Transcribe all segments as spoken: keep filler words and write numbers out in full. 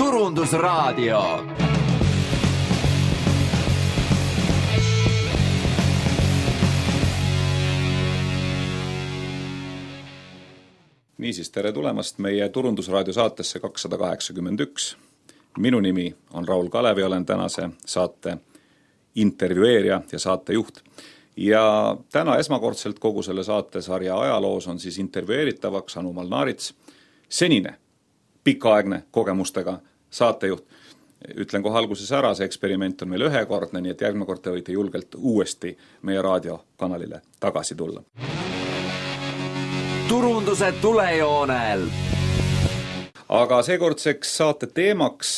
Turundusraadio. Niisiis, tere tulemast meie Turundusraadio saatesse kakssada kaheksakümmend üks. Minu nimi on Raul Kalevi, olen tänase saate intervjueerija ja saatejuht. Ja täna esmakordselt kogu selle saatesarja ajaloos on siis intervjueeritavaks Anu Malnarits, senine pikaaegne kogemustega saatejuht. Ütlen kohe alguses ära, see eksperiment on meil ühekordne, nii et järgmine kord te võite julgelt uuesti meie raadiokanalile tagasi tulla. Turunduse tulejoonel. Aga seekordseks saate teemaks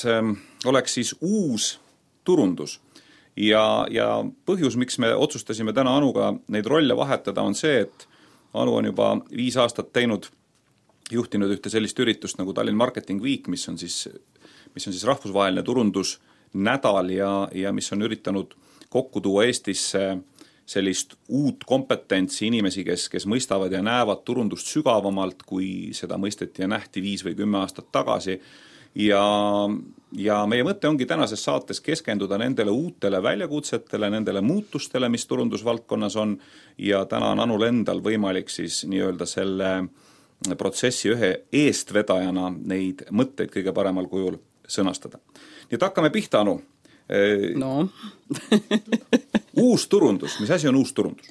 oleks siis uus turundus. Ja, ja põhjus, miks me otsustasime täna Anuga neid rolle vahetada, on see, et Anu on juba viis aastat teinud, juhtinud ühte sellist üritust nagu Tallinn Marketing Week, mis on siis, mis on siis rahvusvaheline turundusnädal ja, ja mis on üritanud kokku tuua Eestisse sellist uut kompetentsi inimesi, kes, kes mõistavad ja näevad turundust sügavamalt, kui seda mõisteti ja nähti viis või kümme aastat tagasi. Ja, ja meie mõte ongi tänases saates keskenduda nendele uutele väljakutsetele, nendele muutustele, mis turundusvaldkonnas on, ja täna on Anul endal võimalik siis nii-öelda selle protsessi ühe eestvedajana neid mõtteid kõige paremal kujul sõnastada. Nii et hakkame pihta, Anu. No. Uus turundus. Mis asi on uus turundus?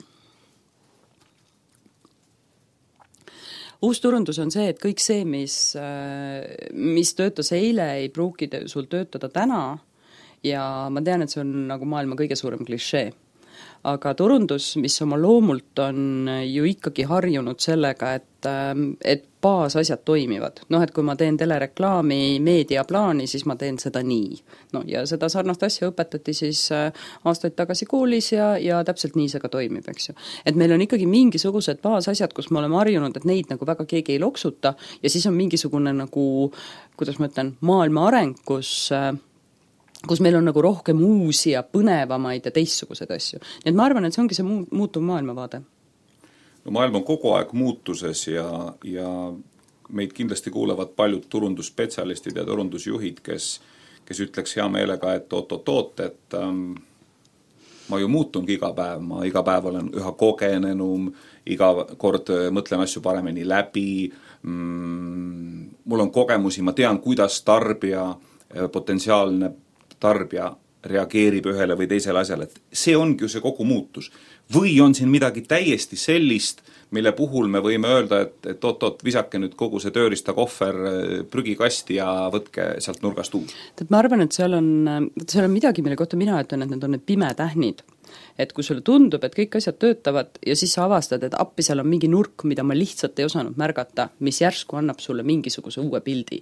Uus turundus on see, et kõik see, mis, mis töötas eile, ei pruugi sul töötada täna ja ma tean, et see on nagu maailma kõige suurem klišee. Aga turundus, mis oma loomult on ju ikkagi harjunud sellega, et, et baasasjad toimivad. Noh, et kui ma teen telereklaami meediaplaani, siis ma teen seda nii. No, ja seda sarnast asja õpetati siis aastaid tagasi koolis ja, ja täpselt nii see ka toimib, eks ju. Et meil on ikkagi mingisugused baasasjad, kus me oleme harjunud, et neid nagu väga keegi ei loksuta ja siis on mingisugune nagu, kuidas ma ütlen, maailma areng, kus kus meil on nagu rohkem uusi ja põnevamaid ja teistsugused asju. Nii et ma arvan, et see ongi see muutuv maailmavaade. No, maailm on kogu aeg muutuses ja, ja meid kindlasti kuulevad paljud turundusspetsialistid ja turundusjuhid, kes, kes ütleks hea meelega, et oot-oot-oot, et ähm, ma ju muutungi iga päev, ma iga päev olen üha kogenenum, iga kord mõtlen asju paremini läbi, mm, mul on kogemusi, ma tean, kuidas tarbija, potentsiaalne tarbija reageerib ühele või teisele asjale, et see ongi ju see kogu muutus. Või on siin midagi täiesti sellist, mille puhul me võime öelda, et, et oot-oot, visake nüüd kogu see tööriista kohver prügikasti ja võtke sealt nurgast uus. Ma arvan, et seal on, seal on midagi, mille kohta mina ütlen, et need on need pimetähnid. Et kui sulle tundub, et kõik asjad töötavad ja siis sa avastad, et appi seal on mingi nurk, mida ma lihtsalt ei osanud märgata, mis järsku annab sulle mingisuguse uue pildi.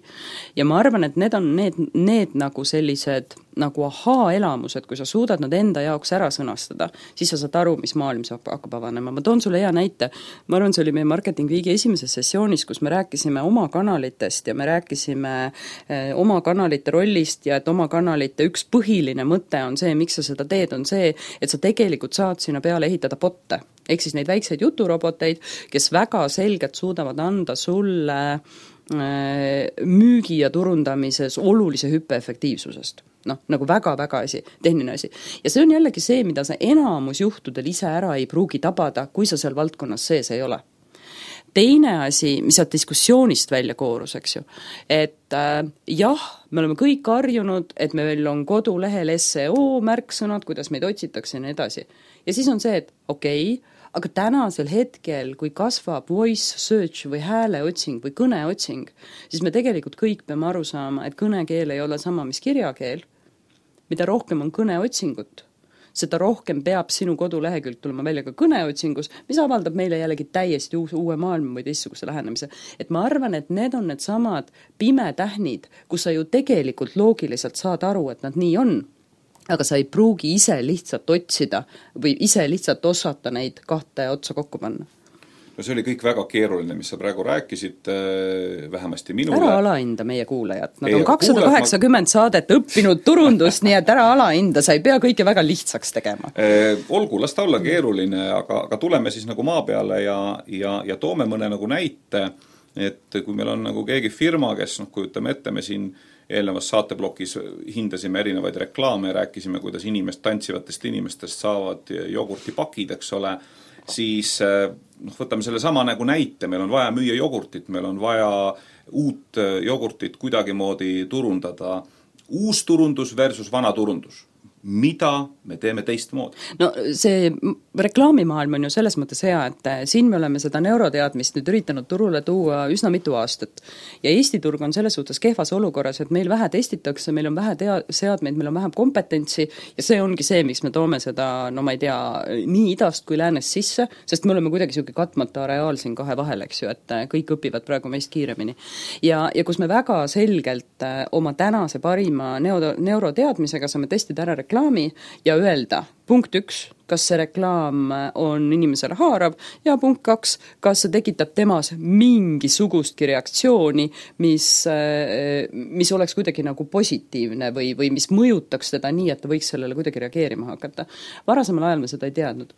Ja ma arvan, et need on need, need nagu sellised nagu ahaa-elamused, kui sa suudad nad enda jaoks ära sõnastada, siis sa saad aru, mis maailm saab hakkab avanema. Ma toon sulle hea näite. Ma arvan, see oli meie Marketing Weeki esimeses sessioonis, kus me rääkisime oma kanalitest ja me rääkisime eh, oma kanalite rollist ja et oma kanalite üks põhiline mõte on see, miks sa seda teed, on see, et sa tegelikult saad sinna peale ehitada botte. Ehk siis neid väikseid juturoboteid, kes väga selgelt suudavad anda sulle müügi ja turundamises olulise hüppe efektiivsusest. Noh, nagu väga-väga asi, tehniline asi. Ja see on jällegi see, mida sa enamus juhtudel ise ära ei pruugi tabada, kui sa seal valdkonnas sees ei ole. Teine asi, mis saad diskussioonist välja koorus, eks ju, et äh, jah, me oleme kõik harjunud, et meil on kodulehel S E O märksõnad, kuidas meid otsitakse ja nii edasi. Ja siis on see, et okei, okay, aga tänasel hetkel, kui kasvab voice search või hääleotsing või kõneotsing, siis me tegelikult kõik peame aru saama, et kõnekeel ei ole sama, mis kirjakeel. Mida rohkem on kõneotsingut, seda rohkem peab sinu kodulehekülg tulema välja ka kõneotsingus, mis avaldab meile jällegi täiesti uus, uue maailma või teistsuguse lähenemise. Et ma arvan, et need on need samad pimetähnid, kus sa ju tegelikult loogiliselt saad aru, et nad nii on. Aga sa ei pruugi ise lihtsalt otsida või ise lihtsalt osata neid kahte otsa kokku panna. No see oli kõik väga keeruline, mis sa praegu rääkisid, vähemasti minule. Ära alahinda meie kuulajad. Nad ei, on kakssada kaheksakümmend ma... saadet õppinud turundust, nii et ära alahinda, sa ei pea kõike väga lihtsaks tegema. Olgu, las ta olla keeruline, aga, aga tuleme siis nagu maa peale ja, ja, ja toome mõne nagu näite et kui meil on nagu keegi firma, kes noh, kujutame ette, me siin eelnevas saateblokis hindasime erinevaid reklaame ja rääkisime, kuidas inimest, tantsivatest inimestest saavad jogurtipakid, eks ole, siis noh, võtame selle sama nagu näite, meil on vaja müüa jogurtit, meil on vaja uut jogurtit kuidagimoodi turundada. Uus turundus versus vana turundus. Mida me teeme teistmoodi? No see reklaamimaailm on ju selles mõttes hea, et siin me oleme seda neuroteadmist nüüd üritanud turule tuua üsna mitu aastat. Ja Eesti turg on selles suhtes kehvas olukorras, et meil vähe testitakse, meil on vähe tea- seadmeid, meil on vähem kompetentsi ja see ongi see, miks me toome seda, no ma ei tea, nii idast kui läänes sisse, sest me oleme kuidagi siuke katmata areaal siin kahe vahel, eks ju, et kõik õpivad praegu meist kiiremini. Ja, ja kus me väga selgelt oma tänase parima neuro, neuroteadmisega saame testida ära reklaami ja öelda, punkt üks, kas see reklaam on inimesele haarav ja punkt kaks, kas see tekitab temas mingisugustki reaktsiooni, mis, mis oleks kuidagi nagu positiivne või, või mis mõjutaks teda nii, et ta võiks sellele kuidagi reageerima hakata. Varasemal ajal me seda ei teadnud.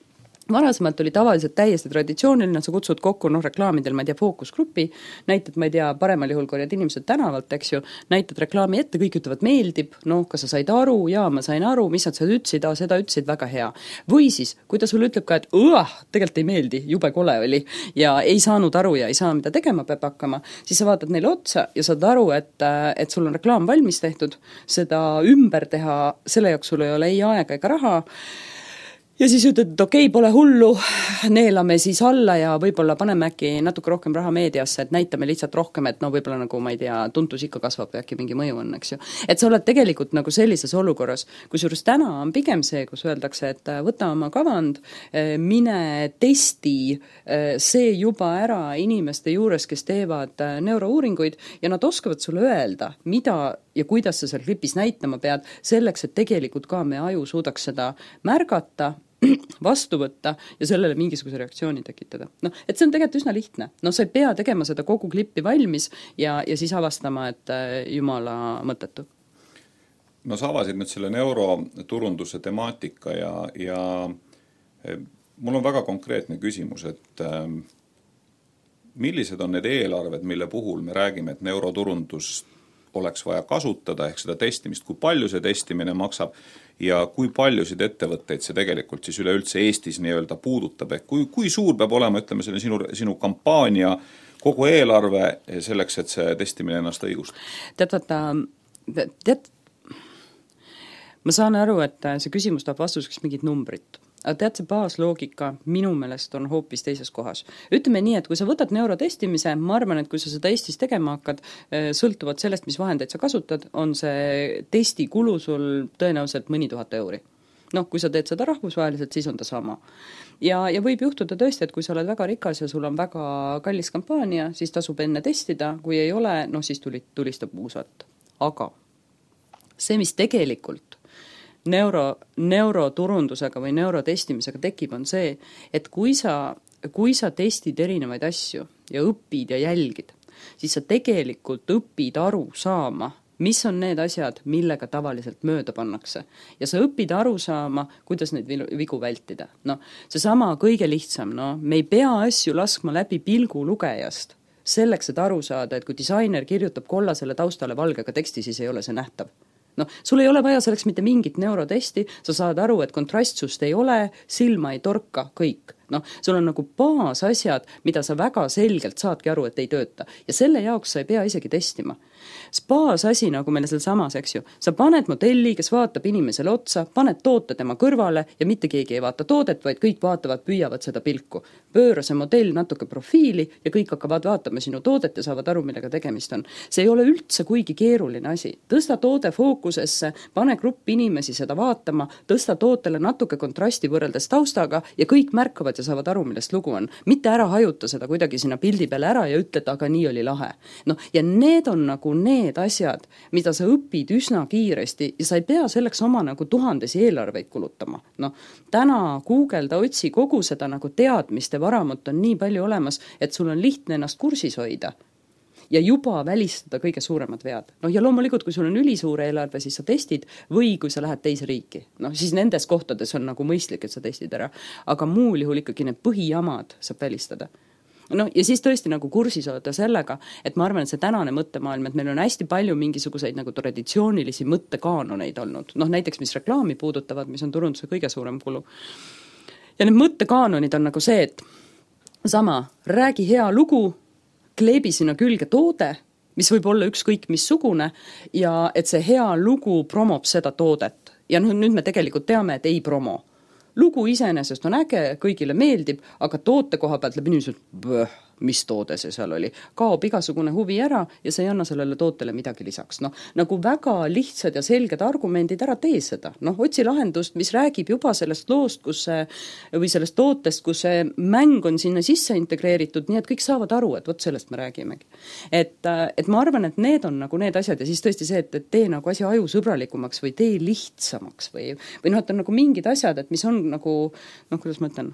Varasemalt oli tavaliselt täiesti traditsiooniline, sa kutsud kokku noh, reklaamidel, ma ei tea, fookusgrupi, näitad, ma ei tea, paremal juhul korjad inimesed tänavalt, eks ju, näitad reklaami ette, kõik ütlevad meeldib, noh, kas sa said aru, jaa, ma sain aru, mis sa seda ütlesid, aa, seda ütlesid, väga hea. Või siis, kui ta sulle ütleb ka, et õah, tegelikult ei meeldi, jube kole oli ja ei saanud aru ja ei saa, mida tegema peab hakkama, siis sa vaatad neile otsa ja saad aru, et, et sul on reklaam valmis tehtud, seda ümber teha, selle jaoks sul ei ole ei aega ega raha. Ja siis ütled, et okei, pole hullu, neelame siis alla ja võib-olla paneme äkki natuke rohkem raha meediasse, et näitame lihtsalt rohkem, et no võib-olla nagu, ma ei tea, tuntus ikka kasvab ja äkki mingi mõju on, eks ju. Et sa oled tegelikult nagu sellises olukorras, kusjuures täna on pigem see, kus öeldakse, et võta oma kavand, mine testi see juba ära inimeste juures, kes teevad neurouuringuid ja nad oskavad sulle öelda, mida ja kuidas sa seal klipis näitama pead, selleks, et tegelikult ka me aju suudaks seda märgata, vastu võtta ja sellele mingisuguse reaktsiooni tekitada. No, et see on tegelikult üsna lihtne. No sa ei pea tegema seda kogu klippi valmis ja, ja siis avastama, et jumala mõttetu. No sa avasid nüüd selle neuroturunduse temaatika ja, ja mul on väga konkreetne küsimus, et millised on need eelarved, mille puhul me räägime, et neuroturundust oleks vaja kasutada, ehk seda testimist, kui palju see testimine maksab ja kui paljusid ettevõtteid see tegelikult siis üleüldse Eestis nii-öelda puudutab, ehk kui, kui suur peab olema, ütleme, selle sinu, sinu kampaania kogu eelarve selleks, et see testimine ennast õigustab? Tead, vaata, tead, ma saan aru, et see küsimus tahab vastuseks mingit numbrit. Aga tead, see baasloogika minu meelest on hoopis teises kohas. Ütleme nii, et kui sa võtad neurotestimise, ma arvan, et kui sa seda Eestis tegema hakkad, sõltuvad sellest, mis vahendeid sa kasutad, on see testi kulu sul tõenäoliselt mõni tuhat euri. Noh, kui sa teed seda rahvusvaheliselt, siis on ta sama. Ja, ja võib juhtuda tõesti, et kui sa oled väga rikas ja sul on väga kallis kampaania, siis tasub enne testida, kui ei ole, noh siis tuli, tulistab uusat. Aga see, mis tegelikult neuro, neuroturundusega või neurotestimisega tekib, on see, et kui sa, kui sa testid erinevaid asju ja õpid ja jälgid, siis sa tegelikult õpid aru saama, mis on need asjad, millega tavaliselt mööda pannakse. Ja sa õpid aru saama, kuidas neid vigu vältida. No, see sama kõige lihtsam, no, me ei pea asju laskma läbi pilgu lugejast, selleks, et aru saada, et kui disainer kirjutab kollasele taustale valgega teksti, siis ei ole see nähtav. No, sul ei ole vaja selleks mitte mingit neurotesti, sa saad aru, et kontrastsust ei ole, silma ei torka, kõik. No, sul on nagu baasasjad, mida sa väga selgelt saadki aru, et ei tööta. Ja selle jaoks sa ei pea isegi testima. Baasasi, nagu meile seal samas, eks ju, sa paned modelli, kes vaatab inimesele otsa, paned toote tema kõrvale ja mitte keegi ei vaata toodet, vaid kõik vaatavad, püüavad seda pilku. Pööra see modell natuke profiili ja kõik hakkavad vaatama sinu toodet ja saavad aru, millega tegemist on. See ei ole üldse kuigi keeruline asi. Tõsta toode fookusesse, pane grupp inimesi seda vaatama, tõsta tootele natuke kontrasti võrreldes taustaga ja kõik märkavad ja saavad aru, millest lugu on. Mitte ära hajuta seda kuidagi sinna pildi peale ära ja ütled, aga nii oli lahe. No, ja need on nagu need asjad, mida sa õpid üsna kiiresti ja sa ei pea selleks oma nagu tuhandesi eelarveid kulutama. No, täna Google'da otsi kogu seda nagu teadmiste varamut on nii palju olemas, et sul on lihtne ennast kursis hoida ja juba välistada kõige suuremad vead. No ja loomulikult, kui sul on ülisuur eelarve, siis sa testid või kui sa lähed teise riiki. No siis nendes kohtades on nagu mõistlik, et sa testid ära. Aga muul juhul ikkagi need põhijamad saab välistada. noh, ja siis tõesti nagu kursis oleda sellega, et ma arvan, et see tänane mõttemaailm, et meil on hästi palju mingisuguseid nagu traditsioonilisi mõttekaanoneid olnud, noh näiteks mis reklaami puudutavad, mis on turunduse kõige suurem kulu. Ja need mõttekaanonid on nagu see, et sama, räägi hea lugu, kleebi sinna külge toode, mis võib olla ükskõik missugune, ja et see hea lugu promob seda toodet. Ja noh, nüüd me tegelikult teame, et ei promo. Lugu iseenesest on äge, kõigile meeldib, aga toote koha pealt läbi niisugune, mis toode see seal oli. Kaob igasugune huvi ära ja see ei anna sellele tootele midagi lisaks. Noh, nagu väga lihtsad ja selged argumendid ära tee seda. Noh, otsi lahendust, mis räägib juba sellest loost, kus see, või sellest tootest, kus see mäng on sinna sisse integreeritud, nii et kõik saavad aru, et vot sellest me räägimegi. Et, et ma arvan, et need on nagu need asjad ja siis tõesti see, et, et tee nagu asja ajusõbralikumaks või tee lihtsamaks või, või noh, et on nagu mingid asjad, et mis on nagu, noh, kuidas ma ütlen,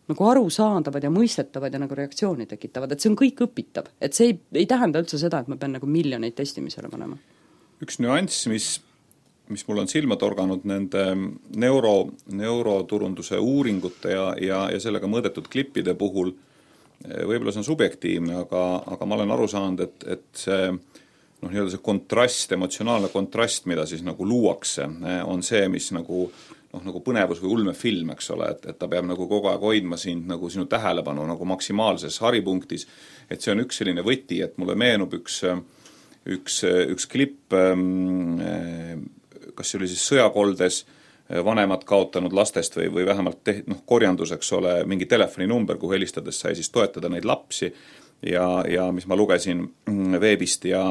nagu arusaadavad ja mõistetavad ja nagu reaktsiooni tekitavad, et see on kõik õpitav. Et see ei, ei tähenda üldse seda, et ma pean nagu miljoneid testimisele panema. Üks nüanss, mis, mis mul on silma torganud nende neuro, neuroturunduse uuringute ja, ja, ja sellega mõõdetud klippide puhul, võib-olla see on subjektiivne, aga, aga ma olen aru saanud, et, et see, noh, nii-öelda see kontrast, emotsionaalne kontrast, mida siis nagu luuakse, on see, mis nagu noh, nagu põnevus või ulmefilm, eks ole, et, et ta peab nagu kogu aeg hoidma sind nagu sinu tähelepanu nagu maksimaalses haripunktis, et see on üks selline võti, et mulle meenub üks, üks, üks klipp, kas see oli siis sõjakoldes vanemad kaotanud lastest või, või vähemalt te, noh, korjanduseks ole mingi telefoninumber, kuhu helistades sai siis toetada neid lapsi ja, ja mis ma lugesin veebist ja,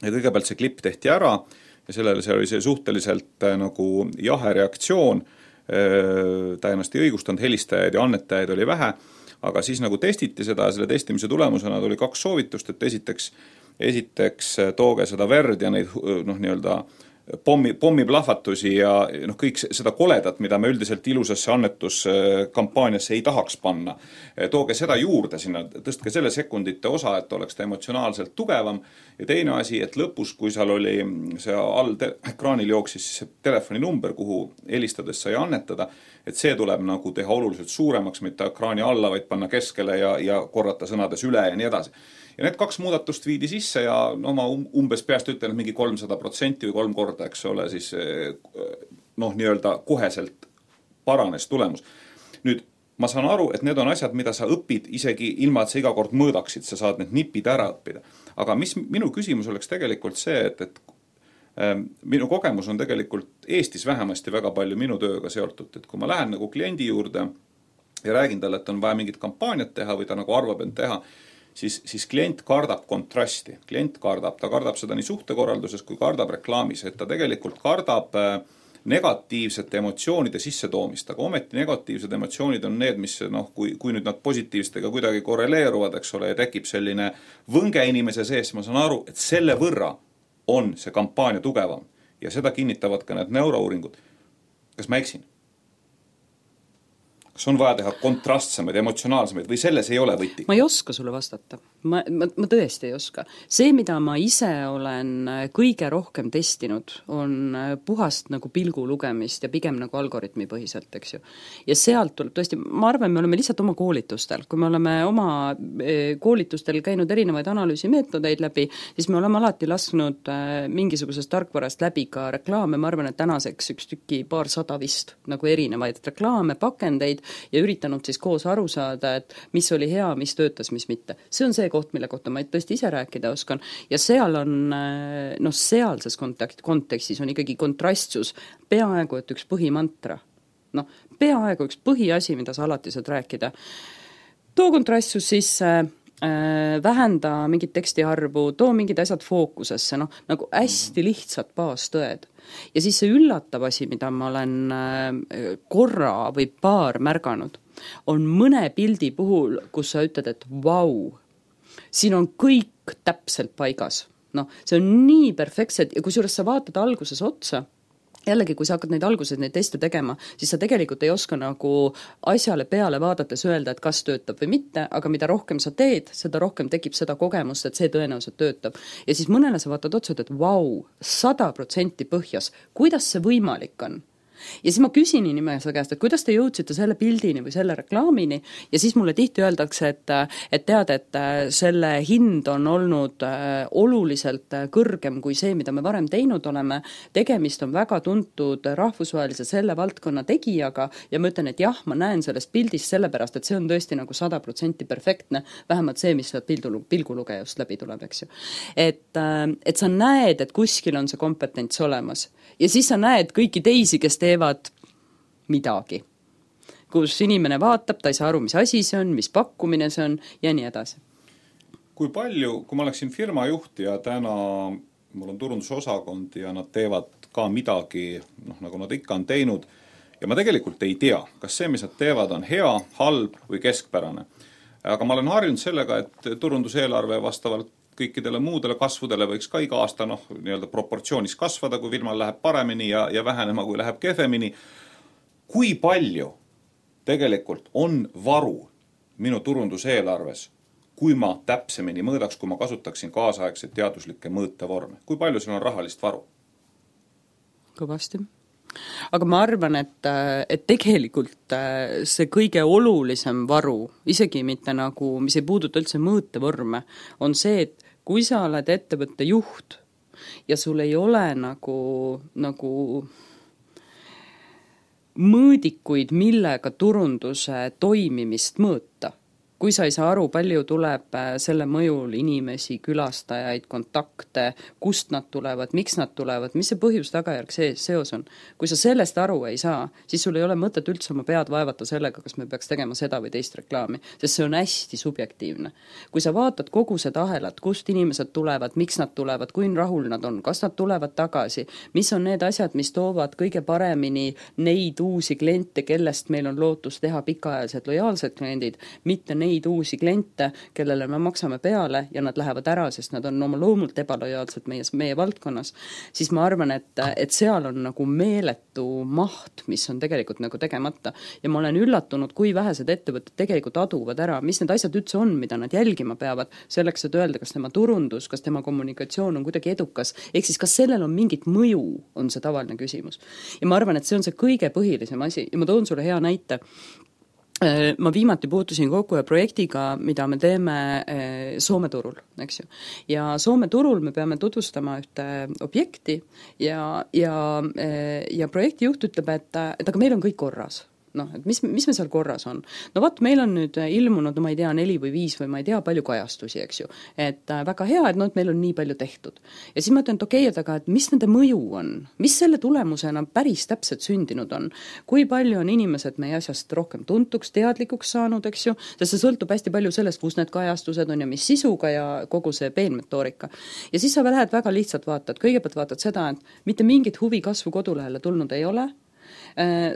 ja kõigepealt see klipp tehti ära ja sellele see oli see suhteliselt äh, nagu jahe reaktsioon, ta ennast ei õigustanud, helistajaid ja annetajaid oli vähe, aga siis nagu testiti seda ja selle testimise tulemusena tuli kaks soovitust, et esiteks, esiteks tooge seda verd ja neid noh, nii-öelda pommi, pommiplahvatusi ja noh, kõik seda koledat, mida me üldiselt ilusasse annetuskampaaniasse ei tahaks panna. Tooge seda juurde sinna, tõstke selle sekundite osa, et oleks ta emotsionaalselt tugevam ja teine asi, et lõpus, kui seal oli see all te- ekraanil jooksis see telefoninumber, kuhu helistades sai annetada, et see tuleb nagu teha oluliselt suuremaks, mitte ekraani alla, vaid panna keskele ja, ja korrata sõnades üle ja nii edasi. Ja need kaks muudatust viidi sisse ja no ma umbes peast ütlen, et mingi kolmsada protsenti või kolm korda, eks ole, siis noh, nii-öelda koheselt paranes tulemus. Nüüd, ma saan aru, et need on asjad, mida sa õpid isegi ilma, et sa iga kord mõõdaksid, sa saad need nipid ära õppida. Aga mis minu küsimus oleks tegelikult see, et, et äh, minu kogemus on tegelikult Eestis vähemasti väga palju minu tööga seotud, et kui ma lähen nagu kliendi juurde ja räägin talle, et on vaja mingit kampaaniat teha või ta nagu arvab end teha, Siis, siis klient kardab kontrasti. Klient kardab, ta kardab seda nii suhtekorralduses kui kardab reklaamis, et ta tegelikult kardab negatiivsete emotsioonide sissetoomist, aga ometi negatiivsed emotsioonid on need, mis noh, kui, kui nüüd nad positiivstega kuidagi korreleeruvad, eks ole, ja tekib selline võnge inimese sees, ma saan aru, et selle võrra on see kampaania tugevam ja seda kinnitavad ka need neurouuringud. Kas ma eksin? Kas on vaja teha kontrastsemaid, emotsionaalsemaid või selles ei ole võti? Ma ei oska sulle vastata. Ma, ma, ma tõesti ei oska. See, mida ma ise olen kõige rohkem testinud, on puhast nagu pilgu lugemist ja pigem nagu algoritmi põhiselt, eks ju. Ja sealt tuleb tõesti, ma arvan, me oleme lihtsalt oma koolitustel. Kui me oleme oma koolitustel käinud erinevaid analüüsimeetodeid läbi, siis me oleme alati lasknud mingisugusest tarkvarast läbi ka reklaame. Ma arvan, et tänaseks üks tüki paar sada vist nagu erinevaid reklaame, pakendeid ja üritanud siis koos aru saada, et mis oli hea, mis töötas, mis mitte. See on see koht, mille kohta ma tõesti ise rääkida oskan ja seal on, noh, sealses kontakt, kontekstis on ikkagi kontrastsus peaaegu, et üks põhimantra. Noh, peaaegu üks põhiasi, mida sa alati saad rääkida. Too kontrastsus sisse, äh, vähenda mingit tekstiarvu, too mingid asjad fookusesse, noh, nagu hästi lihtsad baastõed. Ja siis see üllatav asi, mida ma olen korra või paar märganud, on mõne pildi puhul, kus sa ütled, et vau, siin on kõik täpselt paigas. No, see on nii perfektsed ja kusjuures sa vaatad alguses otsa, jällegi, kui sa hakkad neid alguses neid teste tegema, siis sa tegelikult ei oska nagu asjale peale vaadates öelda, et kas töötab või mitte, aga mida rohkem sa teed, seda rohkem tekib seda kogemust, et see tõenäoliselt töötab. Ja siis mõnele sa vaatad otsa, et vau, sada protsenti põhjas, kuidas see võimalik on? ja siis ma küsin inimese käest, et kuidas te jõudsite selle pildini või selle reklaamini ja siis mulle tihti öeldakse, et, et tead, et selle hind on olnud oluliselt kõrgem kui see, mida me varem teinud oleme, tegemist on väga tuntud rahvusvahelise selle valdkonna tegijaga ja ma ütlen, et jah, ma näen sellest pildist sellepärast, et see on tõesti nagu sada protsenti perfektne, vähemalt see, mis sealt pildu, pilgulugejast läbi tuleb, eks ju. Et, et sa näed, et kuskil on see kompetents olemas ja siis sa näed kõiki teisi, kes teevad midagi, kus inimene vaatab, ta ei saa aru, mis asi see on, mis pakkumine see on ja nii edasi. Kui palju, kui ma oleksin firma juht ja täna mul on turundusosakond ja nad teevad ka midagi, noh, nagu nad ikka on teinud, ja ma tegelikult ei tea, kas see, mis nad teevad, on hea, halb või keskpärane. Aga ma olen harjunud sellega, et turunduseelarve vastavalt kõikidele muudele kasvudele võiks ka iga aasta noh, nii-öelda proportsioonis kasvada, kui firmal läheb paremini ja, ja vähenema, kui läheb kehvemini. Kui palju tegelikult on varu minu turunduseelarves, kui ma täpsemini mõõdaks, kui ma kasutaksin kaasaegseid teaduslikke mõõtevorme? Kui palju seal on rahalist varu? Kõvasti. Aga ma arvan, et, et tegelikult see kõige olulisem varu, isegi mitte nagu, mis ei puuduta üldse mõõtevorme, on see, et kui sa oled ettevõtte juht ja sul ei ole nagu, nagu mõõdikuid, millega turunduse toimimist mõõta, kui sa ei saa aru, palju tuleb selle mõjul inimesi, külastajaid, kontakte, kust nad tulevad, miks nad tulevad, mis see põhjus tagajärg see seos on. Kui sa sellest aru ei saa, siis sul ei ole mõtet üldse oma pead vaevata sellega, kas me peaks tegema seda või teist reklaami, sest see on hästi subjektiivne. Kui sa vaatad kogu seda ahelat, kust inimesed tulevad, miks nad tulevad, kui rahul nad on, kas nad tulevad tagasi, mis on need asjad, mis toovad kõige paremini neid uusi kliente, kellest meil on lootus teha pikaajalised lojaalsed kliendid, mitte neid neid uusi kliente, kellele me maksame peale ja nad lähevad ära, sest nad on oma loomult ebalojaalsed meie, meie valdkonnas, siis ma arvan, et, et seal on nagu meeletu maht, mis on tegelikult nagu tegemata. Ja ma olen üllatunud, kui vähesed ettevõtted tegelikult aduvad ära, mis need asjad üldse on, mida nad jälgima peavad, selleks, et öelda, kas tema turundus, kas tema kommunikatsioon on kuidagi edukas, ehk siis kas sellel on mingit mõju, on see tavaline küsimus. Ja ma arvan, et see on see kõige põhilisem asi ja ma toon sulle hea näite. Ma viimati puutusin kokku ühe projektiga, mida me teeme Soome turul, eks ju. Ja Soome turul me peame tutvustama ühte objekti ja, ja, ja projekti juht ütleb, et, et aga meil on kõik korras. noh, et mis, mis me seal korras on. No vaat, meil on nüüd ilmunud, no ma ei tea, neli või viis või ma ei tea, palju kajastusi, eks ju. Et äh, väga hea, et, no, et meil on nii palju tehtud. Ja siis ma ütlen, et okei, et aga et mis nende mõju on? Mis selle tulemusena päris täpselt sündinud on? Kui palju on inimesed meie asjast rohkem tuntuks, teadlikuks saanud, eks ju? Sest see sõltub hästi palju sellest, kus need kajastused on ja mis sisuga ja kogu see peenmetoorika. Ja siis sa lähed väga lihtsalt vaatad. Kõigepealt vaatad seda, et mitte mingit huvi kasvu kodulehele tulnud ei ole.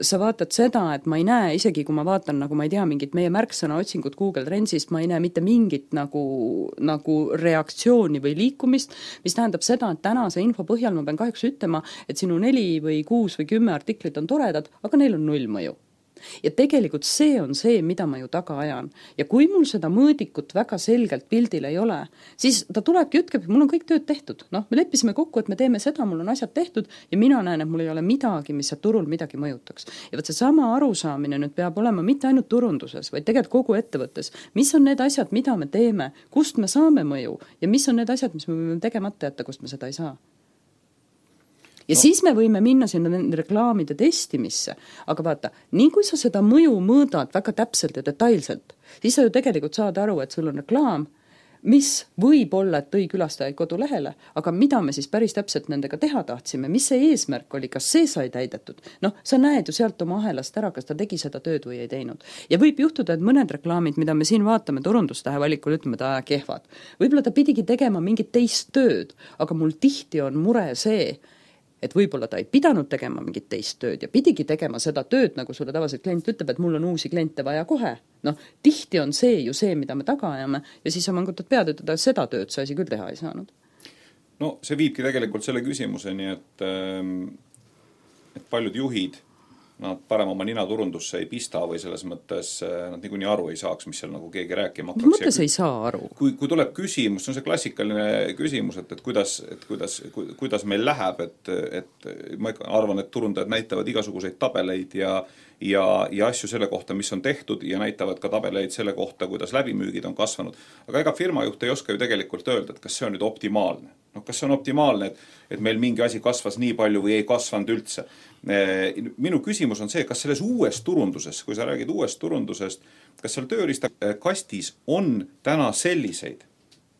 Sa vaatad seda, et ma ei näe, isegi kui ma vaatan, nagu ma ei tea, mingit meie märksõna otsingut Google Trendsist, ma ei näe mitte mingit nagu, nagu reaktsiooni või liikumist, mis tähendab seda, et tänase info põhjal ma pean kahjuks ütlema, et sinu neli või kuus või kümme artiklit on toredad, aga neil on null mõju. Ja tegelikult see on see, mida ma ju taga ajan. Ja kui mul seda mõõdikut väga selgelt pildil ei ole, siis ta tulebki ütkeb, mul on kõik tööd tehtud. Noh, me leppisime kokku, et me teeme seda, mul on asjad tehtud ja mina näen, et mul ei ole midagi, mis turul midagi mõjutaks. Ja võt see sama arusaamine nüüd peab olema mitte ainult turunduses, vaid tegelikult kogu ettevõttes. Mis on need asjad, mida me teeme, kust me saame mõju ja mis on need asjad, mis me võime tegemata jätta, kust me seda ei saa. Ja no. Siis me võime minna sinna reklaamide testimisse, aga vaata, nii kui sa seda mõju mõõdad väga täpselt ja detailselt, siis sa ju tegelikult saad aru, et sul on reklaam, mis võib olla, et tõi külastajaid kodulehele, aga mida me siis päris täpselt nendega teha tahtsime, mis see eesmärk oli, kas see sai täidetud? Noh, sa näed ju sealt oma ahelast ära, kas ta tegi seda tööd või ei teinud. Ja võib juhtuda, et mõned reklaamid, mida me siin vaatame turundustähe valikul, ütleme, ta kehvad. Võib-olla ta pidigi tegema mingit teist tööd, aga mul tihti on mure see, et võib-olla ta ei pidanud tegema mingit teist tööd ja pidigi tegema seda tööd, nagu sulle tavaliselt klient ütleb, et mul on uusi kliente vaja kohe. Noh, tihti on see ju see, mida me taga ajame ja siis sa mangutad pead, et seda tööd sa asi küll teha ei saanud. No see viibki tegelikult selle küsimuseni, et, et paljud juhid nad parem oma nina turundusse ei pista või selles mõttes nad niikuinii aru ei saaks, mis seal nagu keegi rääkima hakkaks. Mis mõttes ei saa aru? Kui, kui tuleb küsimus, see on see klassikaline küsimus, et, et, kuidas, et kuidas, kuidas meil läheb, et, et ma arvan, et turundajad näitavad igasuguseid tabeleid ja, ja, ja asju selle kohta, mis on tehtud ja näitavad ka tabeleid selle kohta, kuidas läbimüügid on kasvanud. Aga ega firmajuht ei oska ju tegelikult öelda, et kas see on nüüd optimaalne. No, kas see on optimaalne, et, et meil mingi asi kasvas nii palju või ei kasvanud üldse. Minu küsimus on see, kas selles uues turunduses, kui sa räägid uuest turundusest, kas seal tööriista kastis on täna selliseid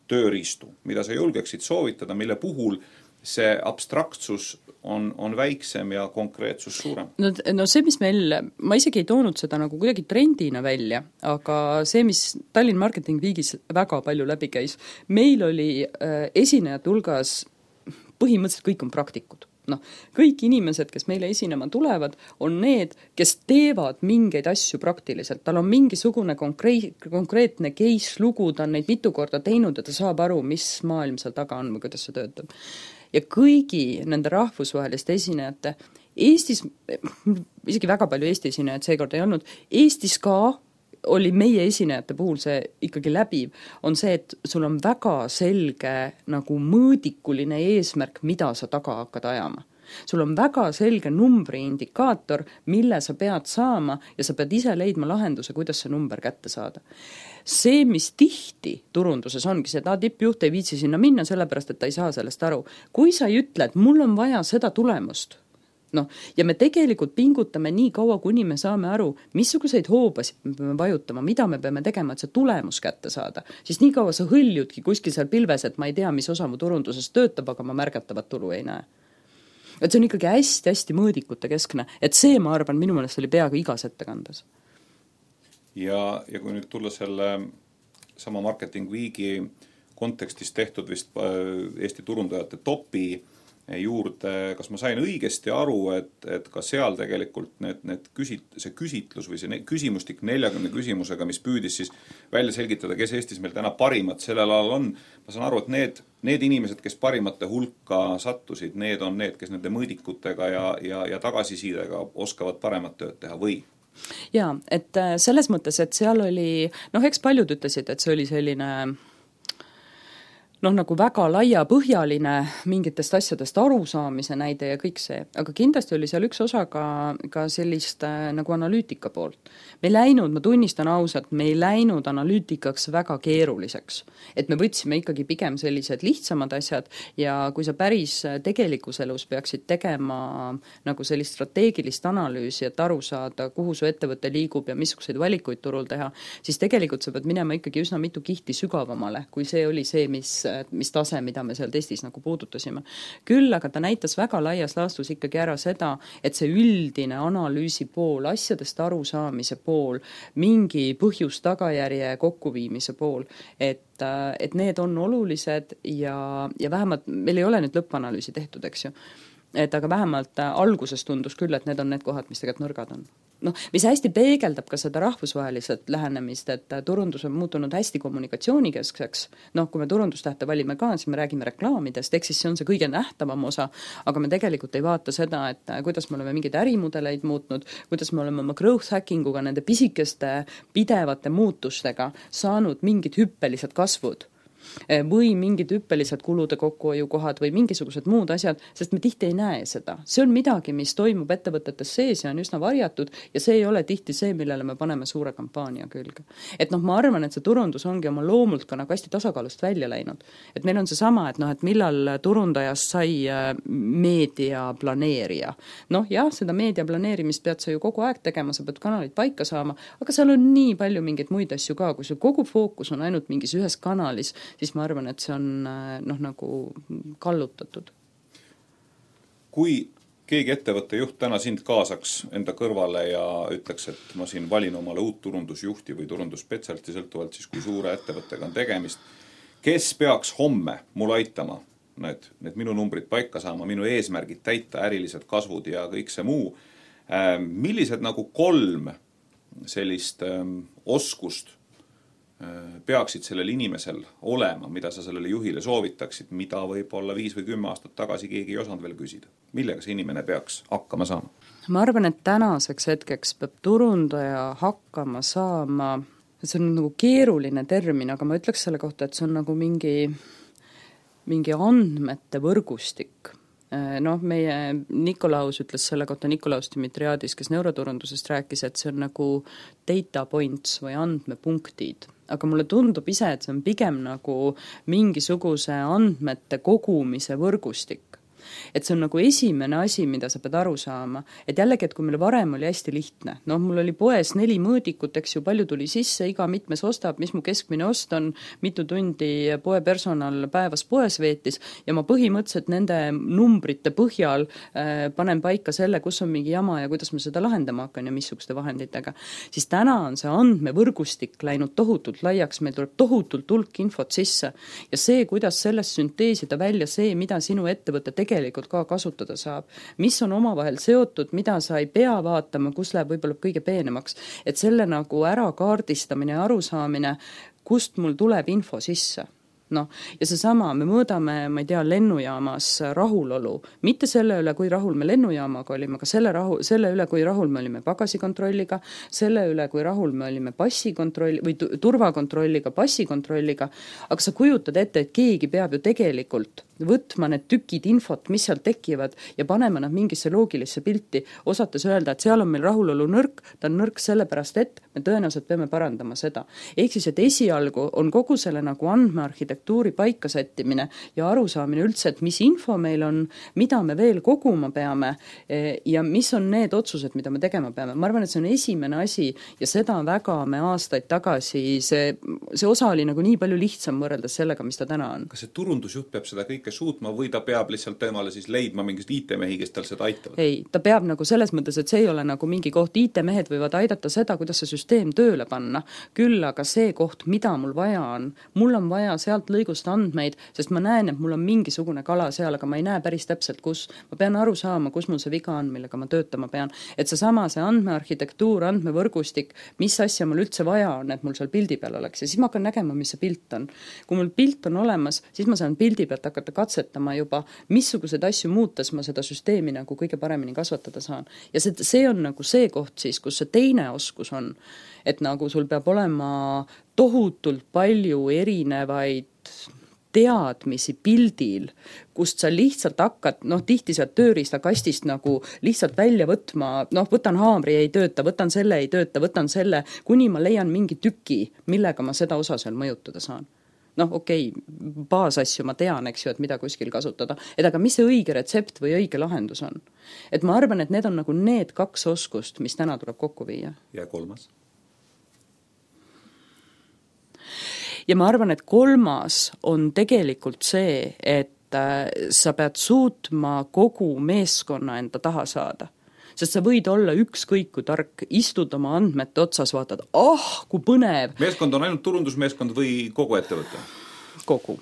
tööriistu, mida sa julgeksid soovitada, mille puhul see abstraktsus on, on väiksem ja konkreetsus suurem? No, no see, mis meil, ma isegi ei toonud seda nagu kuidagi trendina välja, aga see, mis Tallinn Marketing Weekis väga palju läbi käis, meil oli äh, esinejate hulgas põhimõtteliselt kõik on praktikud. No, kõik inimesed, kes meile esinema tulevad, on need, kes teevad mingeid asju praktiliselt. Tal on mingisugune konkreet, konkreetne case lugu, ta on neid mitu korda teinud ja ta saab aru, mis maailm seal taga on või kuidas see töötab. Ja kõigi nende rahvusvaheliste esinejate, Eestis, isegi väga palju Eesti esinejad seekord ei olnud, Eestis ka oli meie esinejate puhul see ikkagi läbiv, on see, et sul on väga selge nagu mõõdikuline eesmärk, mida sa taga hakkad ajama. Sul on väga selge numbri indikaator, mille sa pead saama ja sa pead ise leidma lahenduse, kuidas see number kätte saada. See, mis tihti turunduses ongi, see, et tippjuht ei viitsi sinna minna, sellepärast, et ta ei saa sellest aru. Kui sa ei ütle, et mul on vaja seda tulemust, no, ja me tegelikult pingutame nii kaua, kuni me saame aru, missuguseid hoobasid me peame vajutama, mida me peame tegema, et see tulemus kätte saada. Siis nii kaua sa hõljudki kuskil seal pilves, et ma ei tea, mis osa mu turunduses töötab, aga ma märgatavat tulu ei näe. Et see on ikkagi hästi-hästi mõõdikute keskne. Et see, ma arvan, minu meelest oli peaaegu igas ettekandes. Ja, ja kui nüüd tulla selle sama Marketing Weeki kontekstis tehtud vist Eesti turundajate topi juurde, kas ma sain õigesti aru, et, et ka seal tegelikult need, need küsit, see küsitlus või see küsimustik neljakümne küsimusega, mis püüdis siis välja selgitada, kes Eestis meil täna parimad sellel alal on. Ma saan aru, et need, need inimesed, kes parimate hulka sattusid, need on need, kes nende mõõdikutega ja, ja, ja tagasisidega oskavad paremat tööd teha või? Jaa, et selles mõttes, et seal oli, noh, eks paljud ütlesid, et see oli selline noh, nagu väga laiapõhjaline mingitest asjadest arusaamise näide ja kõik see. Aga kindlasti oli seal üks osa ka, ka sellist äh, nagu analüütika poolt. Me ei läinud, ma tunnistan ausalt, me ei läinud analüütikaks väga keeruliseks. Et me võtsime ikkagi pigem sellised lihtsamad asjad ja kui sa päris tegelikus elus peaksid tegema nagu sellist strateegilist analüüsi, et aru saada, kuhu su ettevõte liigub ja missuguseid valikuid turul teha, siis tegelikult sa pead minema ikkagi üsna mitu kihti sügavamale, kui see oli see, mis mis tase, mida me seal testis nagu puudutasime. Küll, aga ta näitas väga laias laastus ikkagi ära seda, et see üldine analüüsi pool, asjadest arusaamise pool, mingi põhjus tagajärje kokkuviimise pool, et, et need on olulised ja, ja vähemalt, meil ei ole nüüd lõppanalüüsi tehtud, eks ju. Et aga vähemalt alguses tundus küll, et need on need kohad, mis tegelikult nõrgad on. Noh, mis hästi peegeldab ka seda rahvusvaheliselt lähenemist, et turundus on muutunud hästi kommunikatsioonikeskseks. Noh, kui me turundustähte valime ka, siis me räägime reklaamidest, ehk siis see on see kõige nähtavam osa, aga me tegelikult ei vaata seda, et kuidas me oleme mingeid ärimudeleid muutnud, kuidas me oleme oma growth hackinguga, nende pisikeste pidevate muutustega saanud mingid hüppelised kasvud või mingid hüppelised kulude kokkuhoiukohad või mingisugused muud asjad, sest me tihti ei näe seda. See on midagi, mis toimub ettevõtetes sees ja on üsna varjatud ja see ei ole tihti see, millele me paneme suure kampaania külge. Et noh, ma arvan, et see turundus ongi oma loomult ka nagu hästi tasakaalust välja läinud. Et meil on see sama, et noh, et millal turundajast sai meediaplaneerija. Noh, jah, seda meediaplaneerimist pead sa ju kogu aeg tegema, sa pead kanalid paika saama, aga seal on nii palju mingeid muid asju ka, kui sul kogu fookus on ainult mingis ühes kanalis, siis ma arvan, et see on noh, nagu kallutatud. Kui keegi ettevõtte juht täna sind kaasaks enda kõrvale ja ütleks, et ma siin valin omale uut turundusjuhti või turundusspetsialisti sõltuvalt siis, kui suure ettevõttega on tegemist, kes peaks homme mul aitama need, need minu numbrid paika saama, minu eesmärgid täita, ärilised kasvud ja kõik see muu, millised nagu kolm sellist ähm, oskust peaksid sellel inimesel olema, mida sa sellele juhile soovitaksid, mida võib-olla viis või kümme aastat tagasi keegi ei osanud veel küsida? Millega see inimene peaks hakkama saama? Ma arvan, et tänaseks hetkeks peab turundaja hakkama saama, see on nagu keeruline termin, aga ma ütleks selle kohta, et see on nagu mingi, mingi andmete võrgustik. Noh, meie Nikolaus ütles selle kohta, Nikolaus Dimitriadis, kes neuroturundusest rääkis, et see on nagu data points või andmepunktid. Aga mulle tundub ise, et see on pigem nagu mingisuguse andmete kogumise võrgustik. Et see on nagu esimene asi, mida sa pead aru saama. Et jällegi, et kui meil varem oli hästi lihtne, noh, mul oli poes neli mõõdikut, eks ju, palju tuli sisse, iga mitmes ostab, mis mu keskmine ost on, mitu tundi poe personal päevas poes veetis ja ma põhimõtteliselt nende numbrite põhjal äh, panen paika selle, kus on mingi jama ja kuidas ma seda lahendama hakkan ja missuguste vahenditega. Siis täna on see andmevõrgustik läinud tohutult laiaks, meil tuleb tohutult hulk infot sisse ja see, kuidas sellest sünteesida välja see, mida sinu ettevõte tegelikult tegelikult ka kasutada saab, mis on omavahel seotud, mida sa ei pea vaatama, kus läheb võib-olla kõige peenemaks, et selle nagu ära kaardistamine ja arusaamine, kust mul tuleb info sisse. No, ja see sama, me mõõdame, ma ei tea, lennujaamas rahulolu, mitte selle üle, kui rahul me lennujaamaga olime, aga selle, rahu, selle üle, kui rahul me olime pagasikontrolliga, selle üle, kui rahul me olime passikontroll või turvakontrolliga, passikontrolliga, aga sa kujutad ette, et keegi peab ju tegelikult võtma need tükid infot, mis seal tekivad ja panema nad mingisse loogilisse pilti, osates öelda, et seal on meil rahulolu nõrk, ta on nõrk sellepärast, et me tõenäoliselt peame parandama seda. Ehk siis, et esialgu on kogu selle nagu andmearhitektuuri paikasättimine ja arusaamine üldse, et mis info meil on, mida me veel koguma peame ja mis on need otsused, mida me tegema peame. Ma arvan, et see on esimene asi ja seda väga me aastaid tagasi, see, see osa oli nagu nii palju lihtsam võrreldes sellega, mis ta täna on. Kas see turundusjuht peab seda kõike suutma või ta peab lihtsalt temale siis leidma mingist I T-mehi, kes tal seda aitavad? Ei, ta peab nagu selles mõttes, et see ei ole nagu mingi koht, I T-mehed võivad aidata seda, kuidas see süsteem tööle panna, küll aga see koht, mida mul vaja on, mul on vaja sealt lõigust andmeid, sest ma näen, et mul on mingisugune kala seal, aga ma ei näe päris täpselt, kus. Ma pean aru saama, kus mul see viga on, millega ma töötama pean. Et see sama, see andmearhitektuur, andmevõrgustik, mis asja mul üldse vaja on, et mul seal pildi peal oleks ja siis ma hakkan nägema, mis see pilt on. Kui mul pilt on olemas, siis ma saan pildi pealt hakata katsetama juba, missugused asju muutes ma seda süsteemi nagu kõige paremini kasvatada saan. Ja see, see on nagu see koht siis, kus see teine oskus on, et nagu sul peab olema tohutult palju erinevaid teadmisi pildil, kust sa lihtsalt hakkad, noh, tihti sealt tööriista kastist nagu lihtsalt välja võtma, noh, võtan haamri, ei tööta, võtan selle, ei tööta, võtan selle, kuni ma leian mingi tüki, millega ma seda osa seal mõjutada saan. Noh, okei, okay, baasasju ma tean, eks ju, et mida kuskil kasutada. Et aga mis see õige retsept või õige lahendus on? Et ma arvan, et need on nagu need kaks oskust, mis täna tuleb kokku viia. Ja kolmas? Ja ma arvan, et kolmas on tegelikult see, et sa pead suutma kogu meeskonna enda taha saada. Sest sa võid olla ükskõik kui tark, istud oma andmete otsas, vaatad, ah, kui põnev. Meeskond on ainult turundusmeeskond või kogu ettevõte? Kogu.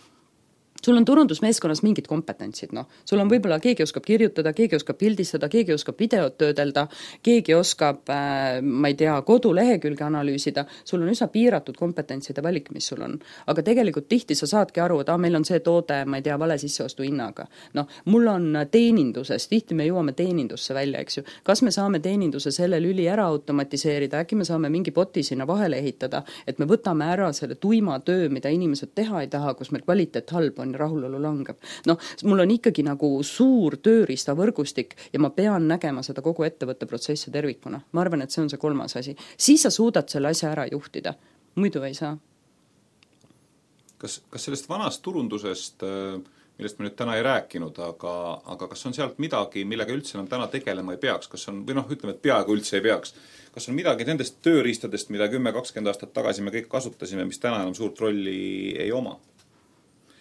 Sul on turundusmeeskonnas mingid kompetentsid, noh. Sul on võib-olla keegi oskab kirjutada, keegi oskab pildistada, keegi oskab videot töödelda, keegi oskab, äh, ma ei tea, kodulehekülge analüüsida. Sul on üsna piiratud kompetentside valik, mis sul on. Aga tegelikult tihti sa saadki aru, et ah, meil on see toode, ma ei tea, vale sisseostu hinnaga. No, mul on teeninduses, tihti me jõuame teenindusse välja, eks ju. Kas me saame teeninduse selle lüli ära automatiseerida, äkki me saame mingi boti sinna vahele ehitada, et me võtame ära selle tuima töö, mida inimesed teha ei taha, kus meil kvaliteet halb on, rahulolu langeb. No, mul on ikkagi nagu suur tööriista võrgustik ja ma pean nägema seda kogu ettevõtte protsessi tervikuna. Ma arvan, et see on see kolmas asi. Siis sa suudad selle asja ära juhtida. Muidu ei saa. Kas, kas sellest vanast turundusest, millest me nüüd täna ei rääkinud, aga, aga kas on sealt midagi, millega üldse enam täna tegelema ei peaks? Kas on, või noh, ütleme, et peaaegu üldse ei peaks. Kas on midagi nendest tööriistadest, mida kümme kakskümmend aastat tagasi me kõik kasutasime, mis täna enam suurt rolli ei oma?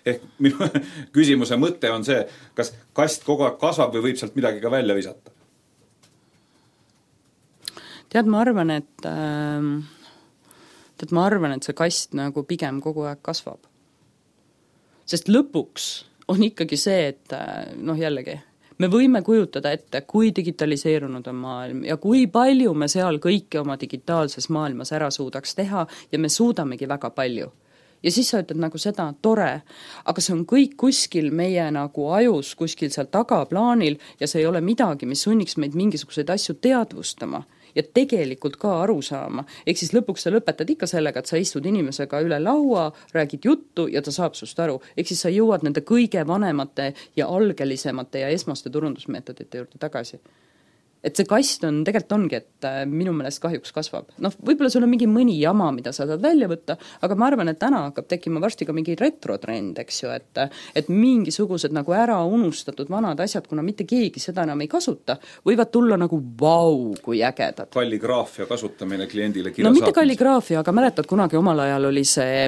Ehk minu küsimuse mõte on see, kas kast kogu aeg kasvab või võib sealt midagi ka välja visata? Tead, ma arvan, et äh, tead, ma arvan, et see kast nagu pigem kogu aeg kasvab. Sest lõpuks on ikkagi see, et noh jällegi, me võime kujutada ette, kui digitaliseerunud on maailm ja kui palju me seal kõike oma digitaalses maailmas ära suudaks teha ja me suudamegi väga palju. Ja siis sa ütled nagu seda, tore, aga see on kõik kuskil meie nagu ajus, kuskil seal tagaplaanil ja see ei ole midagi, mis sunniks meid mingisuguseid asju teadvustama ja tegelikult ka aru saama. Ehk siis lõpuks sa lõpetad ikka sellega, et sa istud inimesega üle laua, räägid juttu ja ta saab sust aru. Ehk siis sa jõuad nende kõige vanemate ja algelisemate ja esmaste turundusmeetodite juurde tagasi. Et see kast on, tegelikult ongi, et minu meelest kahjuks kasvab. Noh, võib-olla sul on mingi mõni jama, mida sa saad välja võtta, aga ma arvan, et täna hakkab tekkima varsti ka mingi retrotrend, eks ju, et, et mingisugused nagu ära unustatud vanad asjad, kuna mitte keegi seda enam ei kasuta, võivad tulla nagu vau, kui ägedad. Kalligraafia kasutamine kliendile kirja no mitte saatmise. Kalligraafia, aga mäletad, kunagi omal ajal oli see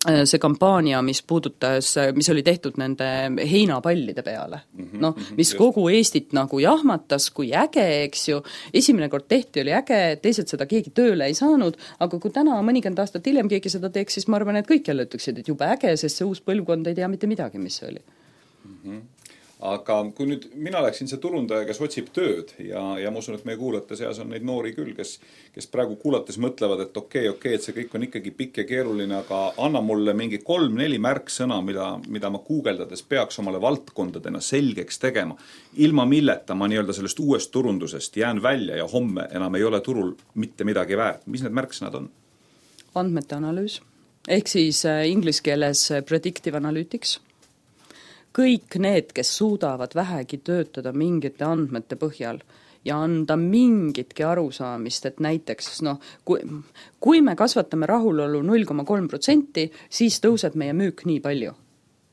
see kampaania, mis puudutas, mis oli tehtud nende heinapallide peale. Noh, mis kogu Eestit nagu jahmatas, kui äge, eks ju. Esimene kord tehti, oli äge, teised seda keegi tööle ei saanud, aga kui täna mõnikümmend aastat hiljem keegi seda teeks, siis ma arvan, et kõik jälle ütleksid, et jube äge, sest see uus põlvkond ei tea mitte midagi, mis see oli. Mm-hmm. Aga kui nüüd mina läksin see turundaja, kes otsib tööd ja, ja ma usun, et meie kuulajate seas on neid noori küll, kes, kes praegu kuulates mõtlevad, et okei, okay, okei, okay, et see kõik on ikkagi pikk ja keeruline, aga anna mulle mingi kolm-neli märksõna, mida, mida ma guugeldades peaks omale valdkondadena selgeks tegema. Ilma milleta ma nii-öelda sellest uuest turundusest jään välja ja homme enam ei ole turul mitte midagi väärt. Mis need märksõnad on? Andmete analüüs, ehk siis inglise keeles predictive analytics. Kõik need, kes suudavad vähegi töötada mingite andmete põhjal ja anda mingitki arusaamist, et näiteks noh, kui, kui me kasvatame rahulolu null koma kolm protsenti, siis tõuseb meie müük nii palju.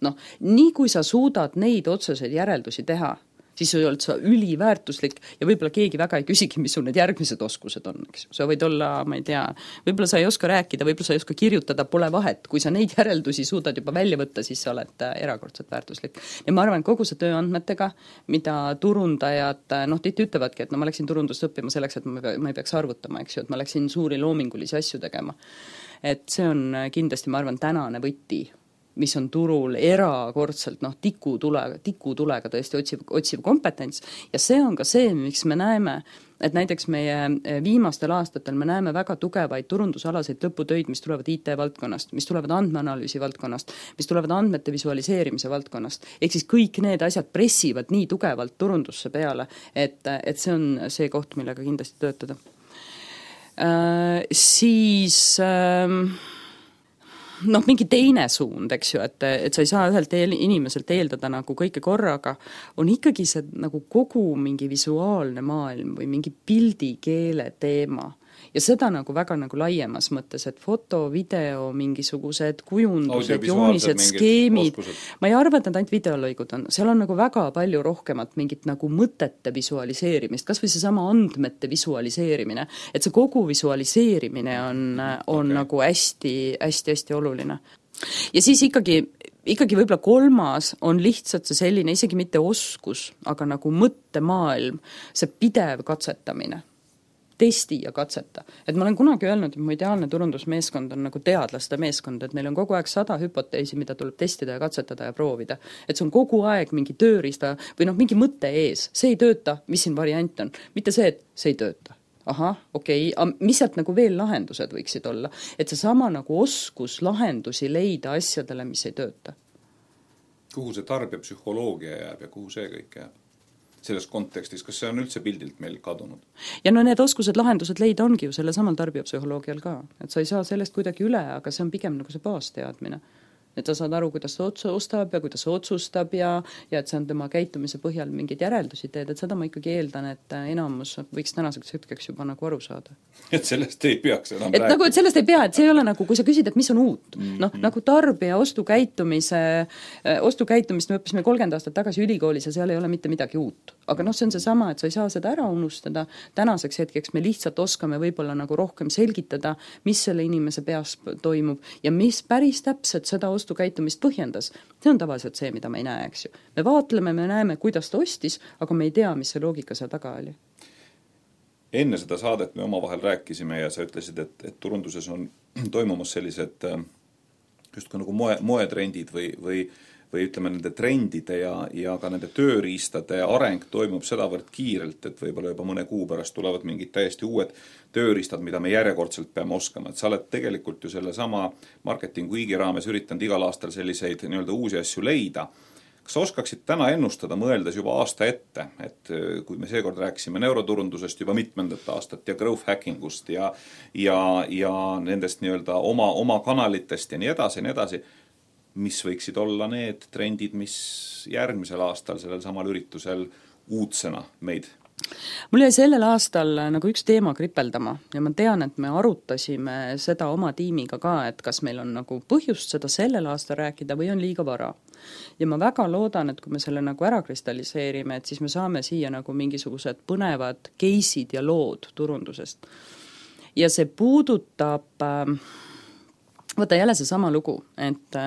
Noh, nii kui sa suudad neid otseseid järeldusi teha, siis sa oled sa üliväärtuslik ja võib-olla keegi väga ei küsigi, mis sul need järgmised oskused on. Eks? Sa võid olla, ma ei tea, võib-olla sa ei oska rääkida, võib-olla sa ei oska kirjutada, pole vahet. Kui sa neid järeldusi suudad juba välja võtta, siis sa oled erakordselt väärtuslik. Ja ma arvan, kogu see tööandmetega, mida turundajad, noh, tihti ütlevadki, et no ma läksin turundust õppima selleks, et ma ei peaks arvutama, eks ju, et ma läksin suuri loomingulisi asju tegema. Et see on kindlasti, ma arvan, tänane võti, mis on turul erakordselt noh, tikutulega, tikutulega tõesti otsiv, otsiv kompetents ja see on ka see, miks me näeme, et näiteks meie viimastel aastatel me näeme väga tugevaid turundusalaseid lõputöid, mis tulevad I T-valdkonnast, mis tulevad andmeanalüüsi valdkonnast, mis tulevad andmete visualiseerimise valdkonnast. Ehk siis kõik need asjad pressivad nii tugevalt turundusse peale, et, et see on see koht, millega kindlasti töötada. Äh, siis... Äh, noh, mingi teine suund, eks ju, et, et sa ei saa ühelt eel, inimeselt eeldada nagu kõike korraga, on ikkagi see nagu kogu mingi visuaalne maailm või mingi pildikeele teema. Ja seda nagu väga nagu laiemas mõttes, et foto, video, mingisugused kujundused, joonised, skeemid. Ma ei arva, et need ainult videolõigud on. Seal on nagu väga palju rohkemat mingit nagu mõtete visualiseerimist, kas või see sama andmete visualiseerimine. Et see kogu visualiseerimine on, on okay. nagu hästi, hästi, hästi oluline. Ja siis ikkagi, ikkagi võib-olla kolmas on lihtsalt see selline, isegi mitte oskus, aga nagu mõttemaailm, see pidev katsetamine. Testi ja katseta. Et ma olen kunagi öelnud, et mu ideaalne turundusmeeskond on nagu teadlaste meeskond, et neil on kogu aeg sada hüpoteesi, mida tuleb testida ja katsetada ja proovida. Et see on kogu aeg mingi tööriista või noh, mingi mõte ees. See ei tööta, mis siin variant on. Mitte see, et see ei tööta. Aha, okei, okay. Mis sealt nagu veel lahendused võiksid olla? Et see sama nagu oskus lahendusi leida asjadele, mis ei tööta. Kuhu see tarbija psühholoogia jääb ja kuhu see kõik jääb? Selles kontekstis, kas see on üldse pildilt meil kadunud? Ja no need oskused lahendused leida ongi ju selle samal tarbijapsühholoogial ka. Et sa ei saa sellest kuidagi üle, aga see on pigem nagu see baasteadmine. Et sa saad aru, kuidas ta ostab ja kuidas otsustab ja, ja et see on tema käitumise põhjal mingid järeldusi teed, et seda ma ikkagi eeldan, et enamus võiks tänaseks hetkeks juba nagu aru saada. Et sellest ei peaks enam et rääkida. Nagu, et sellest ei pea, et see ei ole nagu, kui sa küsid, et mis on uut. Mm-hmm. Noh, nagu tarbija ostukäitumise, ostukäitumist me õppisime kolmkümmend aastat tagasi ülikoolis ja seal ei ole mitte midagi uut. Aga noh, see on see sama, et sa ei saa seda ära unustada. Tänaseks hetkeks me lihtsalt oskame võib-olla nagu rohkem selgitada, mis selle inimese peas toimub ja mis päris täpselt seda ostukäitumist põhjendas. See on tavaliselt see, mida me ei näe, eks ju. Me vaatleme, me näeme, kuidas ta ostis, aga me ei tea, mis see loogika seal taga oli. Enne seda saadet me omavahel rääkisime ja sa ütlesid, et, et turunduses on toimumas sellised just ka nagu moe, moetrendid või, või või ütleme, nende trendide ja, ja ka nende tööriistade areng toimub sedavõrd kiirelt, et võib-olla juba mõne kuu pärast tulevad mingid täiesti uued tööriistad, mida me järjekordselt peame oskama. Et sa oled tegelikult ju selle sama marketingu Igi raames üritanud igal aastal selliseid nii-öelda uusi asju leida. Kas sa oskaksid täna ennustada, mõeldes juba aasta ette, et kui me seekord rääkisime neuroturundusest juba mitmendat aastat ja growth hackingust ja, ja, ja nendest nii-öelda oma, oma kanalitest ja nii edasi ja nii edasi, mis võiksid olla need trendid, mis järgmisel aastal sellel samal üritusel uudsena meid? Mul jäi sellel aastal nagu üks teema kripeldama ja ma tean, et me arutasime seda oma tiimiga ka, et kas meil on nagu põhjust seda sellel aastal rääkida või on liiga vara. Ja ma väga loodan, et kui me selle nagu ära kristalliseerime, et siis me saame siia nagu mingisugused põnevad case'id ja lood turundusest. Ja see puudutab võta jälle see sama lugu, et,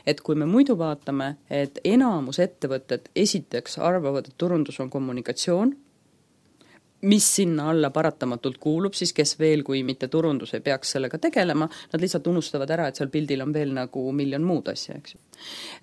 et kui me muidu vaatame, et enamus ettevõtted esiteks arvavad, et turundus on kommunikatsioon, mis sinna alla paratamatult kuulub, siis kes veel, kui mitte turundus ei peaks sellega tegelema, nad lihtsalt unustavad ära, et seal pildil on veel nagu miljon muud asja, eks ju.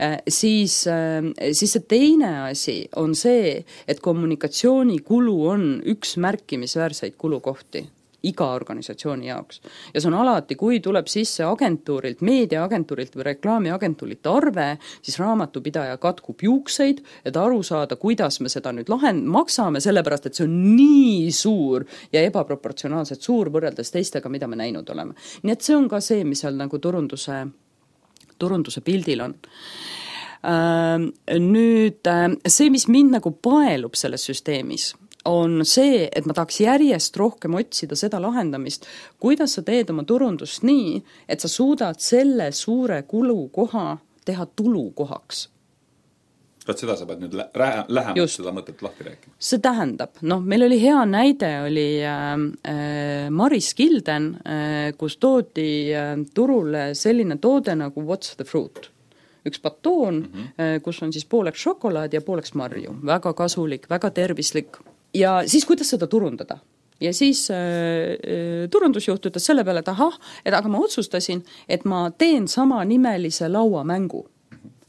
Äh, siis, äh, siis see teine asi on see, et kommunikatsiooni kulu on üks märkimisväärseid kulukohti iga organisatsiooni jaoks. Ja see on alati, kui tuleb sisse agentuurilt, meediaagentuurilt või reklaamiagentuurilt arve, siis raamatupidaja katkub juukseid, et aru saada, kuidas me seda nüüd lahend- maksame, sellepärast, et see on nii suur ja ebaproportsionaalselt suur võrreldes teistega, mida me näinud oleme. Nii et see on ka see, mis seal nagu turunduse, turunduse pildil on. Nüüd see, mis mind nagu paelub selles süsteemis, on see, et ma tahaks järjest rohkem otsida seda lahendamist, kuidas sa teed oma turundust nii, et sa suudad selle suure kulukoha teha tulukohaks. Kas seda sa pead nüüd lä- lähemalt Just. Seda mõtet lahti rääkima? See tähendab, noh, meil oli hea näide, oli äh, Maris Kilden, äh, kus toodi äh, turule selline toode nagu What's the Fruit? Üks batoon, mm-hmm. kus on siis pooleks šokolaad ja pooleks marju. Väga kasulik, väga tervislik. Ja siis kuidas seda turundada? Ja siis äh, turundusjuht ütles selle peale, et ahah, et aga ma otsustasin, et ma teen sama nimelise lauamängu.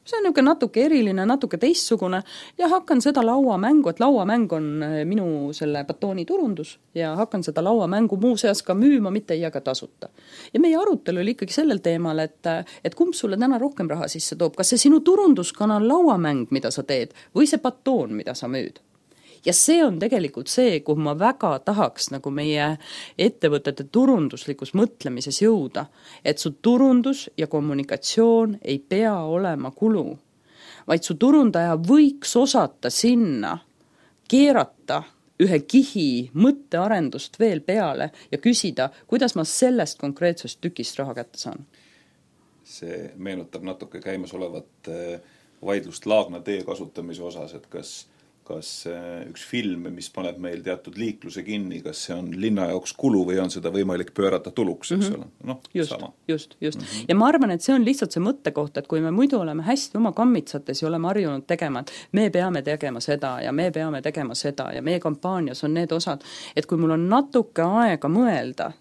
See on niisugune natuke eriline, natuke teistsugune ja hakkan seda lauamängu, et lauamäng on minu selle batooni turundus ja hakkan seda lauamängu muuseas ka müüma, mitte ei jaga tasuta. Ja meie arutelu oli ikkagi sellel teemal, et, et kumb sulle täna rohkem raha sisse toob, kas see sinu turunduskanal lauamäng, mida sa teed, või see batoon, mida sa müüd. Ja see on tegelikult see, kuhu ma väga tahaks nagu meie ettevõtete turunduslikus mõtlemises jõuda, et su turundus ja kommunikatsioon ei pea olema kulu, vaid su turundaja võiks osata sinna keerata ühe kihi mõttearendust veel peale ja küsida, kuidas ma sellest konkreetsest tükist raha kätte saan. See meenutab natuke käimas olevat vaidlust Laagna tee kasutamise osas, et kas kas üks film, mis paneb meil teatud liikluse kinni, kas see on linna jaoks kulu või on seda võimalik pöörata tuluks, eks ole? Mm-hmm. No, just, sama. just, just. Mm-hmm. Ja ma arvan, et see on lihtsalt see mõttekoht, et kui me muidu oleme hästi oma kammitsates ja oleme harjunud tegema, et me peame tegema seda ja me peame tegema seda ja meie kampaanias on need osad, et kui mul on natuke aega mõelda,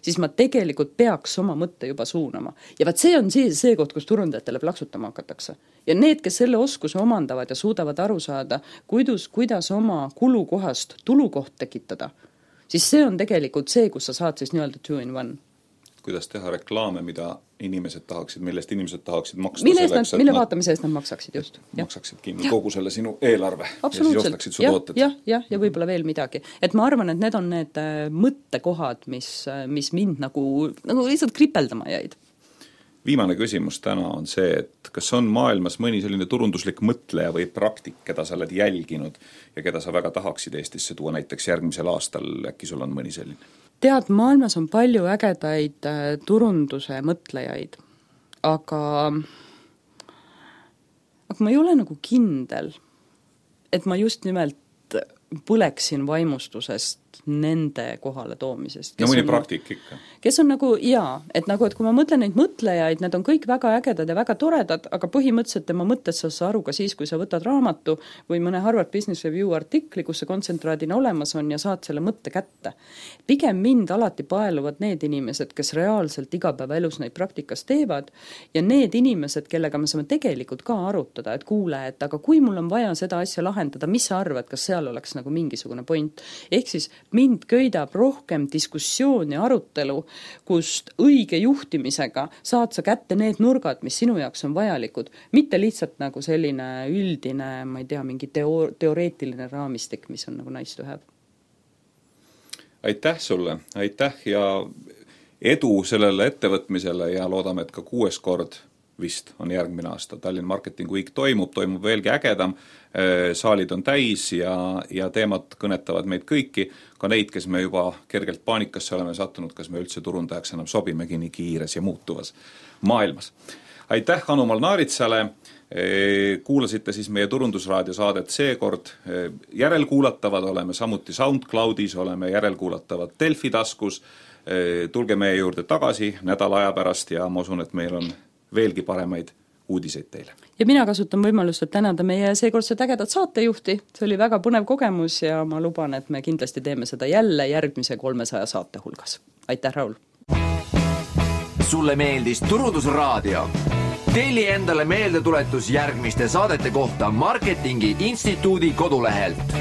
siis ma tegelikult peaks oma mõtte juba suunama. Ja vaat see on see, see koht, kus turundajatele plaksutama hakatakse. Ja need, kes selle oskuse omandavad ja suudavad aru saada, kuidas, kuidas oma kulukohast tulukoht tekitada, siis see on tegelikult see, kus sa saad siis nii-öelda two in one. Kuidas teha reklaame, mida inimesed tahaksid, millest inimesed tahaksid maksta mille selleks, nad, mille vaatamise eest nad maksaksid, just. Maksaksid kinni kogu selle sinu eelarve ja siis ostaksid su ja, tooted. Jah, jah, ja võib-olla veel midagi. Et ma arvan, et need on need mõttekohad, mis, mis mind nagu, nagu lihtsalt kripeldama jäid. Viimane küsimus täna on see, et kas on maailmas mõni selline turunduslik mõtleja või praktik, keda sa oled jälginud ja keda sa väga tahaksid Eestisse tuua näiteks järgmisel aastal, äkki sul on mõni selline? Tead, maailmas on palju ägedaid turunduse mõtlejaid, aga, aga ma ei ole nagu kindel, et ma just nimelt põleksin vaimustusest nende kohale toomisest. No mõni praktik ikka. Kes on nagu, jaa, et nagu, et kui ma mõtlen neid mõtlejaid, need on kõik väga ägedad ja väga toredad, aga põhimõtteliselt tema mõtted sa sa aru ka siis, kui sa võtad raamatu või mõne Harvard Business Review artikli, kus see kontsentraadina olemas on ja saad selle mõtte kätte. Pigem mind alati paeluvad need inimesed, kes reaalselt igapäevaelus neid praktikas teevad ja need inimesed, kellega me saame tegelikult ka arutada, et kuule, et aga kui mul on vaja seda asja lahendada, mis sa arvad, kas seal oleks nagu mingisugune point? Ehk siis mind köidab rohkem diskussioon ja arutelu, kust õige juhtimisega saad sa kätte need nurgad, mis sinu jaoks on vajalikud, mitte lihtsalt nagu selline üldine, ma ei tea, mingi teo- teoreetiline raamistik, mis on nagu nice to have. Aitäh sulle, aitäh ja edu sellele ettevõtmisele ja loodame, et ka kuues kord vist on järgmine aasta. Tallinn Marketing Week toimub, toimub veelgi ägedam, saalid on täis ja, ja teemad kõnetavad meid kõiki, ka neid, kes me juba kergelt paanikasse oleme sattunud, kas me üldse turundajaks enam sobimegi nii kiires ja muutuvas maailmas. Aitäh Anu Malnaaritsale, kuulasite siis meie Turundusraadio saadet seekord järelkuulatavad, oleme samuti SoundCloudis, oleme järelkuulatavad Delfi taskus, tulge meie juurde tagasi nädala aja pärast ja ma usun, et meil on veelgi paremaid uudiseid teile. Ja mina kasutan võimalust, et tänada meie seekordset ägedat saatejuhti, see oli väga põnev kogemus ja ma luban, et me kindlasti teeme seda jälle järgmise kolmesaja saate hulgas. Aitäh, Raul! Sulle meeldis Turundusraadio? Telli endale meeldetuletus järgmiste saadete kohta Marketingi Instituudi kodulehelt.